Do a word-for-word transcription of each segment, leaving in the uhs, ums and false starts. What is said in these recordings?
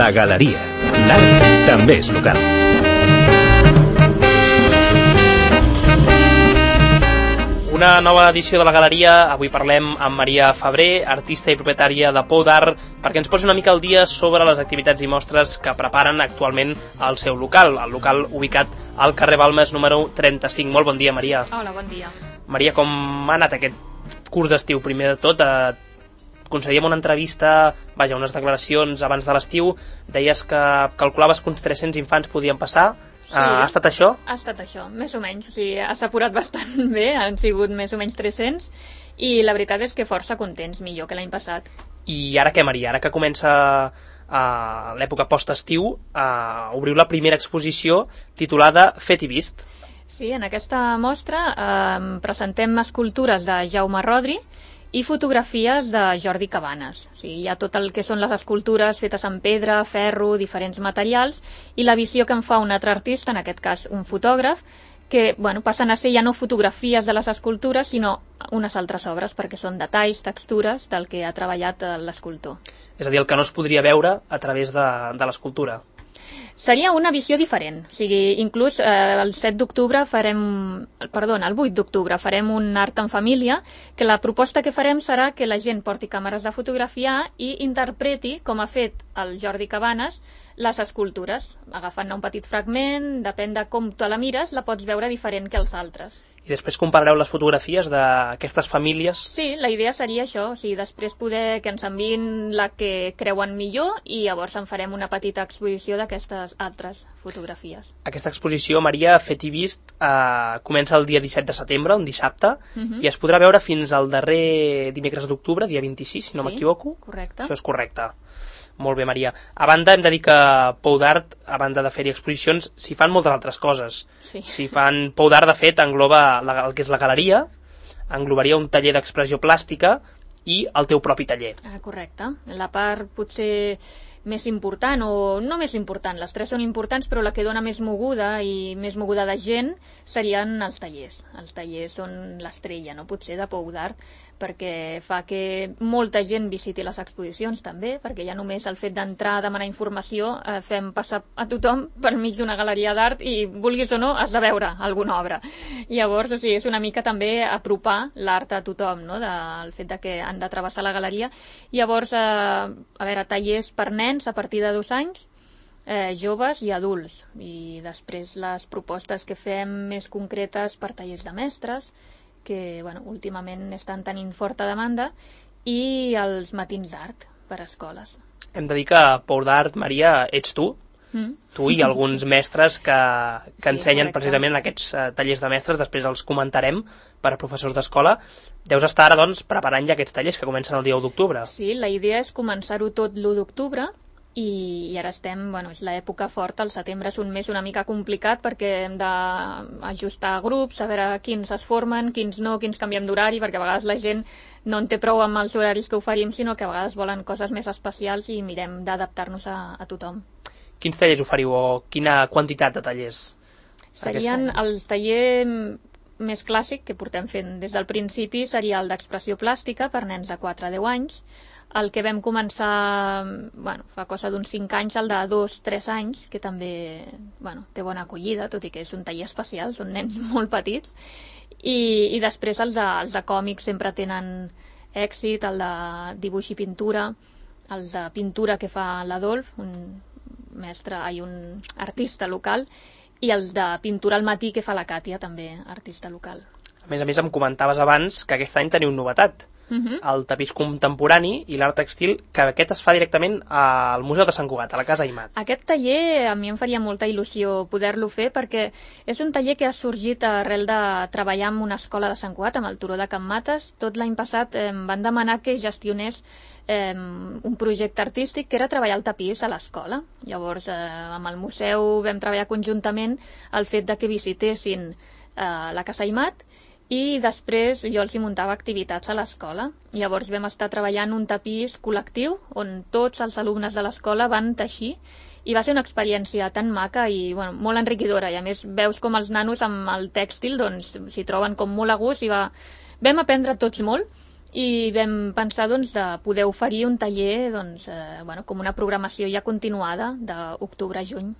La Galeria. L'art també és local. Una nova edició de La Galeria. Avui parlem amb Maria Febrer, artista i propietària de Pou d'Art, perquè ens posi una mica al dia sobre les activitats i mostres que preparen actualment al seu local, el local ubicat al carrer Balmes número trenta-cinc. Molt bon dia, Maria. Hola, bon dia. Maria, com ha anat aquest curs d'estiu? Primer de tot, eh, concedíem una entrevista, vaja, unes declaracions abans de l'estiu, deies que calculaves que uns tres-cents infants podien passar. Sí, uh, ha estat això? Ha estat això, més o menys. O sigui, ha s'apurat bastant bé, han sigut més o menys tres-cents, i la veritat és que força contents, millor que l'any passat. I ara què, Maria? Ara que comença uh, l'època post-estiu, uh, obriu la primera exposició titulada Fet i Vist. Sí, en aquesta mostra eh, presentem escultures de Jaume Rodri i fotografies de Jordi Cabanes. O sigui, hi ha tot el que són les escultures fetes en pedra, ferro, diferents materials, i la visió que en fa un altre artista, en aquest cas un fotògraf, que bueno, passen a ser ja no fotografies de les escultures, sinó unes altres obres, perquè són detalls, textures del que ha treballat l'escultor. És a dir, el que no es podria veure a través de, de l'escultura. Seria una visió diferent, o sigui, inclús eh, el set d'octubre farem, perdona, el vuit d'octubre farem un art en família, que la proposta que farem serà que la gent porti càmeres de fotografiar i interpreti, com ha fet el Jordi Cabanes, les escultures. Agafant un petit fragment, depèn de com tu la mires, la pots veure diferent que els altres. I després comparareu les fotografies d'aquestes famílies? Sí, la idea seria això, o sigui, després poder que ens enviïn la que creuen millor i llavors en farem una petita exposició d'aquestes altres fotografies. Aquesta exposició, Maria, Fet i Vist, eh, comença el dia disset de setembre, un dissabte, uh-huh. i es podrà veure fins al darrer dimecres d'octubre, dia vint-i-sis, si no sí, m'equivoco. Correcte. Això és correcte. Molt bé, Maria. A banda, hem de dir que Pou d'Art, a banda de fer-hi exposicions, s'hi fan moltes altres coses. Sí. S'hi fan... Pou d'Art, de fet, engloba la, el que és la galeria, englobaria un taller d'expressió plàstica i el teu propi taller. Ah, correcte. La part potser més important, o no més important, les tres són importants, però la que dona més moguda i més moguda de gent serien els tallers. Els tallers són l'estrella, no? Potser de Pou d'Art, perquè fa que molta gent visiti les exposicions també, perquè ja només el fet d'entrar a demanar informació eh, fem passar a tothom per mig d'una galeria d'art i, vulguis o no, has de veure alguna obra. Llavors, o sigui, és una mica també apropar l'art a tothom, no? Del fet de que han de travessar la galeria. Llavors, eh, a veure, tallers per nens a partir de dos anys, eh, joves i adults. I després les propostes que fem més concretes per tallers de mestres, que bueno, últimament estan tenint forta demanda, i els matins d'art per a escoles. Hem de dir que Pou d'Art, Maria, ets tu, mm. tu i alguns sí. mestres que, que sí, ensenyen correcte. Precisament en aquests uh, tallers de mestres, després els comentarem per a professors d'escola. Deus estar ara, doncs, preparant ja aquests tallers que comencen el dia u d'octubre. Sí, la idea és començar-ho tot l'u d'octubre, i, i ara estem, bueno, és l'època forta, el setembre és un mes una mica complicat perquè hem d'ajustar grups, a veure quins es formen, quins no, quins canviem d'horari, perquè a vegades la gent no en té prou amb els horaris que oferim, sinó que a vegades volen coses més especials i mirem d'adaptar-nos a, a tothom. Quins tallers oferiu o quina quantitat de tallers? Serien els tallers més clàssic que portem fent des del principi, seria el d'expressió plàstica per nens de quatre a deu anys. El que vam començar, bueno, fa cosa d'uns cinc anys, el de dos a tres anys, que també bueno, té bona acollida, tot i que és un taller especial, són nens molt petits. I, i després els de, els de còmics sempre tenen èxit, el de dibuix i pintura, els de pintura que fa l'Adolf, un mestre i un artista local, i els de pintura al matí que fa la Càtia, també artista local. A més a més, em comentaves abans que aquest any teniu novetat. Uh-huh. El tapís contemporani i l'art textil, que aquest es fa directament al Museu de Sant Cugat, a la Casa Aimat. Aquest taller a mi em faria molta il·lusió poder-lo fer, perquè és un taller que ha sorgit arrel de treballar en una escola de Sant Cugat, amb el Turó de Can Mates. Tot l'any passat eh, em van demanar que gestionés eh, un projecte artístic que era treballar el tapís a l'escola. Llavors, eh, amb el museu vam treballar conjuntament el fet de que visitessin eh, la Casa Aimat, i després jo els hi muntava activitats a l'escola. Llavors vam estar treballant un tapís col·lectiu on tots els alumnes de l'escola van teixir, i va ser una experiència tan maca i bueno, molt enriquidora, i a més veus com els nanos amb el tèxtil doncs, s'hi troben com molt a gust, i va... vam aprendre tots molt, i vam pensar doncs, de poder oferir un taller doncs, eh, bueno, com una programació ja continuada d'octubre a juny.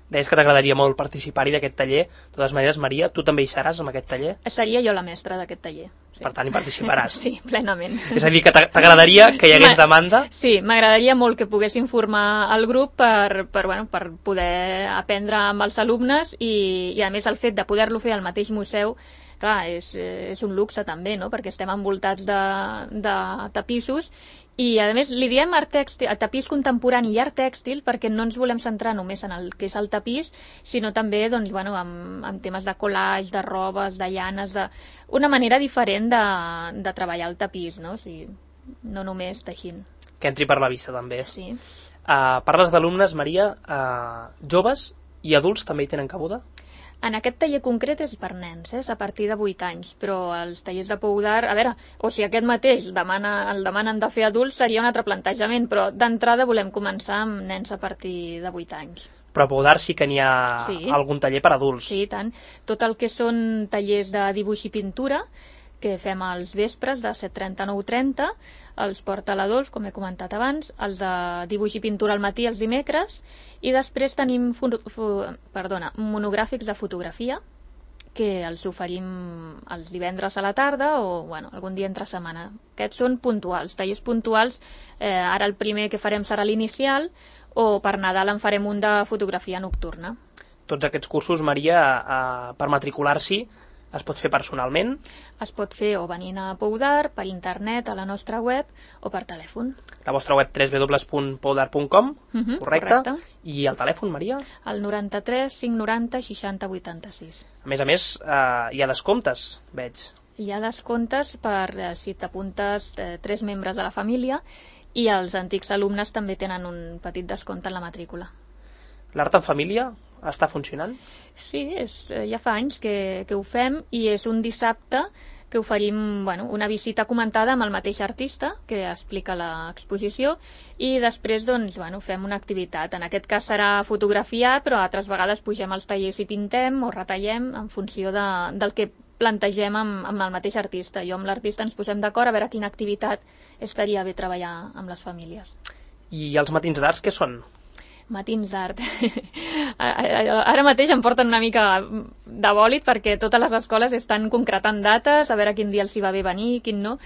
Deies que t'agradaria molt participar-hi d'aquest taller. De totes maneres, Maria, tu també hi seràs en aquest taller? Seria jo la mestra d'aquest taller. Sí. Per tant, hi participaràs. Sí, plenament. És a dir, que t'agradaria que hi hagués demanda? Sí, m'agradaria molt que poguessin formar el grup per, per, bueno, per poder aprendre amb els alumnes i, i a més el fet de poder-lo fer al mateix museu, clar, és, és un luxe també, no? Perquè estem envoltats de, de tapissos i a més li diem art tèxtil, tapís contemporani i art tèxtil perquè no ens volem centrar només en el que és el tapís, sinó també doncs, bueno, amb, amb temes de collage, de robes, de llanes, de... una manera diferent de, de treballar el tapís, no? O sigui, no només teixint. Que entri per la vista també. Sí. Uh, parles d'alumnes, Maria, uh, joves i adults també hi tenen cabuda? En aquest taller concret és per nens, eh? És a partir de vuit anys, però els tallers de Pou d'Art, a veure, o si aquest mateix demana, el demanen de fer adults seria un altre plantejament, però d'entrada volem començar amb nens a partir de vuit anys. Però a Pou d'Art sí que n'hi ha sí. algun taller per adults. Sí, tant. Tot el que són tallers de dibuix i pintura, que fem als vespres de set trenta a nou trenta, els porta l'Adolf, com he comentat abans, els de dibuix i pintura al matí els dimecres, i després tenim perdona, monogràfics de fotografia, que els oferim els divendres a la tarda o bueno, algun dia entre setmana. Aquests són puntuals, tallers puntuals, eh, ara el primer que farem serà l'inicial, o per Nadal en farem un de fotografia nocturna. Tots aquests cursos, Maria, eh, per matricular-s'hi, es pot fer personalment? Es pot fer o venint a Pou d'Art, per internet, a la nostra web, o per telèfon. La vostra web w w w punt pou d'art punt com, uh -huh, correcte. correcte. I el telèfon, Maria? El noranta-tres cinc noranta seixanta vuitanta sis. A més a més, eh, hi ha descomptes, veig. Hi ha descomptes per eh, si t'apuntes eh, tres membres de la família i els antics alumnes també tenen un petit descompte en la matrícula. L'art en família està funcionant? Sí, és, ja fa anys que, que ho fem i és un dissabte que oferim bueno, una visita comentada amb el mateix artista que explica l'exposició i després doncs, bueno, fem una activitat. En aquest cas serà fotografiar, però altres vegades pugem als tallers i pintem o retallem en funció de, del que plantegem amb, amb el mateix artista. Jo amb l'artista ens posem d'acord a veure quina activitat estaria bé treballar amb les famílies. I els matins d'arts què són? Matins d'art. Ara mateix em porten una mica de bòlit perquè totes les escoles estan concretant dates, a veure quin dia els hi va bé venir, quin no,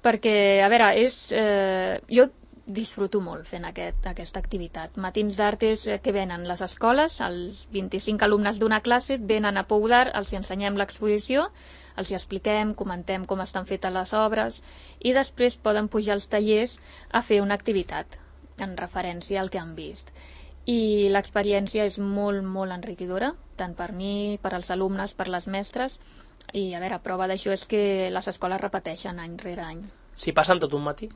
perquè, a veure, és, eh, jo disfruto molt fent aquest, aquesta activitat. Matins d'art és que venen les escoles, els vint-i-cinc alumnes d'una classe venen a Pou d'Art, els hi ensenyem l'exposició, els hi expliquem, comentem com estan fetes les obres i després poden pujar als tallers a fer una activitat en referència al que han vist. I l'experiència és molt, molt enriquidora, tant per mi, per als alumnes, per les mestres, i a veure, prova d'això és que les escoles repeteixen any rere any. S'hi passen tot un matí?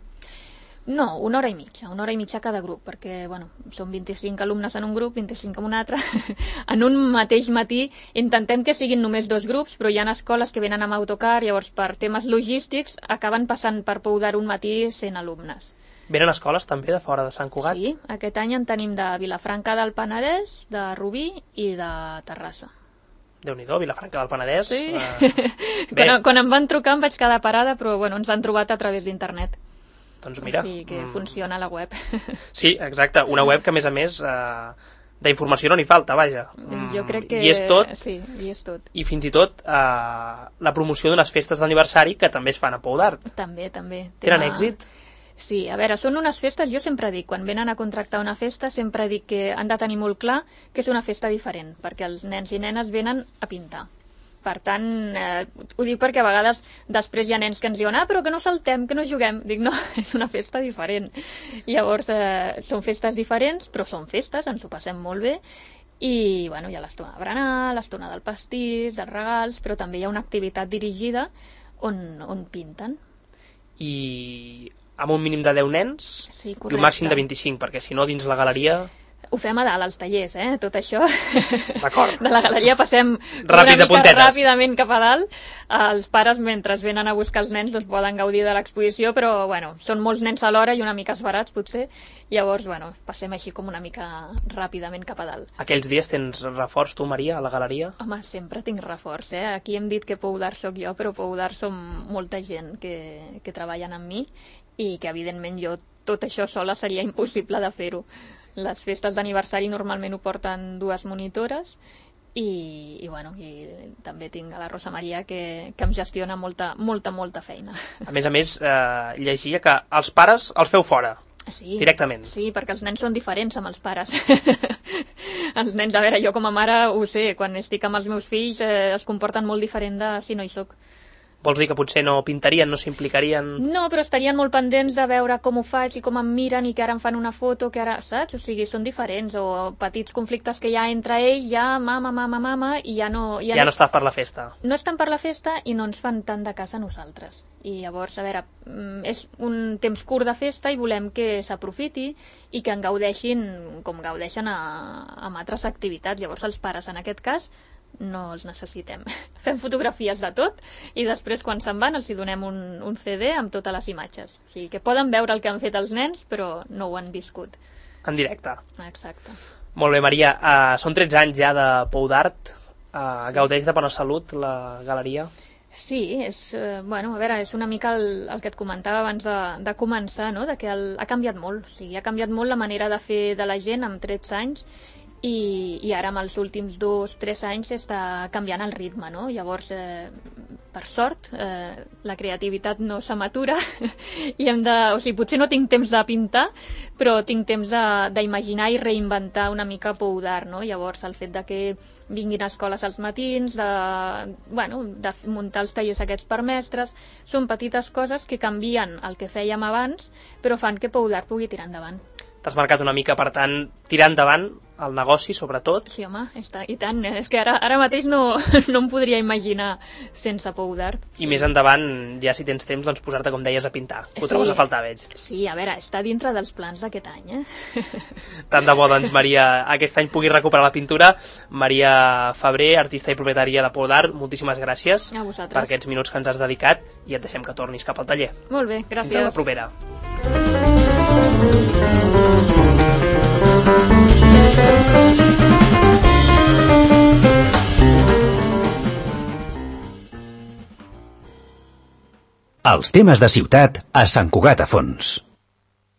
No, una hora i mitja, una hora i mitja cada grup, perquè bueno, són vint-i-cinc alumnes en un grup, vint-i-cinc en un altre. En un mateix matí intentem que siguin només dos grups, però hi ha escoles que venen amb autocar, llavors per temes logístics acaben passant per Pou d'Art un matí cent alumnes. Venen escoles també de fora de Sant Cugat? Sí, aquest any en tenim de Vilafranca del Penedès, de Rubí i de Terrassa. Déu-n'hi-do, Vilafranca del Penedès. Sí. Uh, quan, quan em van trucar em vaig quedar parada, però bueno, ens han trobat a través d'internet. Doncs mira. Sí, que mm. funciona la web. Sí, exacte, una web que a més a més uh, d'informació no n'hi falta, vaja. Jo crec que... I és tot. Sí, i és tot. I fins i tot uh, la promoció d'unes festes d'aniversari que també es fan a Pou d'Art. També, també. Tenen Tema... èxit? Sí, a veure, són unes festes, jo sempre dic, quan venen a contractar una festa, sempre dic que han de tenir molt clar que és una festa diferent, perquè els nens i nenes venen a pintar. Per tant, eh, ho dic perquè a vegades després hi ha nens que ens diuen ah, però que no saltem, que no juguem. Dic, no, és una festa diferent. Llavors, eh, són festes diferents, però són festes, ens ho passem molt bé, i bueno, hi ha l'estona de berenar, l'estona del pastís, dels regals, però també hi ha una activitat dirigida on, on pinten. I amb un mínim de deu nens sí, i un màxim de vint-i-cinc, perquè si no dins la galeria... Ho fem a dalt, als tallers, eh? Tot això. D'acord. De la galeria passem Ràpid, una mica puntetes. ràpidament cap a dalt. Els pares, mentre venen a buscar els nens, doncs poden gaudir de l'exposició, però, bueno, són molts nens alhora i una mica esbarats, potser. Llavors, bueno, passem així com una mica ràpidament cap a dalt. Aquells dies tens reforç, tu, Maria, a la galeria? Home, sempre tinc reforç, eh? Aquí hem dit que Pou d'Art soc jo, però Pou d'Art som molta gent que, que treballen amb mi i que, evidentment, jo tot això sola seria impossible de fer-ho. Les festes d'aniversari normalment ho porten dues monitores i, i, bueno, i també tinc a la Rosa Maria que, que em gestiona molta, molta, molta feina. A més a més, eh, llegia que els pares els feu fora, sí, directament. Sí, perquè els nens són diferents amb els pares. Els nens, a veure, jo com a mare ho sé, quan estic amb els meus fills eh, es comporten molt diferent de si no hi soc. Vols dir que potser no pintarien, no s'implicarien? No, però estarien molt pendents de veure com ho faig i com em miren i que ara em fan una foto, que ara, saps? O sigui, són diferents, o petits conflictes que hi ha entre ells, ja mama, mama, mama, i ja no... Ja, ja no, no estàs per la festa. No estan per la festa i no ens fan tant de cas a nosaltres. I llavors, a veure, és un temps curt de festa i volem que s'aprofiti i que en gaudeixin com gaudeixen a, amb altres activitats. Llavors, els pares, en aquest cas, no els necessitem. Fem fotografies de tot i després quan se'n van els hi donem un, un ce de amb totes les imatges. O sigui que poden veure el que han fet els nens però no ho han viscut. En directe. Exacte. Molt bé, Maria. Uh, són tretze anys ja de Pou d'Art. Uh, sí. Gaudeix de bona salut la galeria? Sí, és, eh, bueno, a veure, és una mica el, el que et comentava abans de, de començar, no? De que el, ha canviat molt. O sigui, ha canviat molt la manera de fer de la gent amb tretze anys i, i ara amb els últims dos o tres anys està canviant el ritme, no? Llavors, eh, per sort, eh, la creativitat no s'amatura i hem de... O sigui, potser no tinc temps de pintar, però tinc temps d'imaginar i reinventar una mica Pou d'Art, no? Llavors, el fet de que vinguin a escoles als matins, de, bueno, de muntar els tallers aquests per mestres, són petites coses que canvien el que fèiem abans, però fan que Pou d'Art pugui tirar endavant. T'has marcat una mica, per tant, tirar endavant el negoci, sobretot. Sí, home, està, i tant. És que ara, ara mateix no, no em podria imaginar sense Pou d'Art. I sí. Més endavant, ja si tens temps, doncs posar-te, com deies, a pintar. Ho sí. Trobes a faltar, veig. Sí, a veure, està dintre dels plans d'aquest any, eh? Tant de bo, doncs, Maria, aquest any pugui recuperar la pintura. Maria Febrer, artista i propietària de Pou d'Art, moltíssimes gràcies a vosaltres per aquests minuts que ens has dedicat i et deixem que tornis cap al taller. Molt bé, gràcies. Fins a la propera. Els temes de ciutat a Sant Cugat a Fons.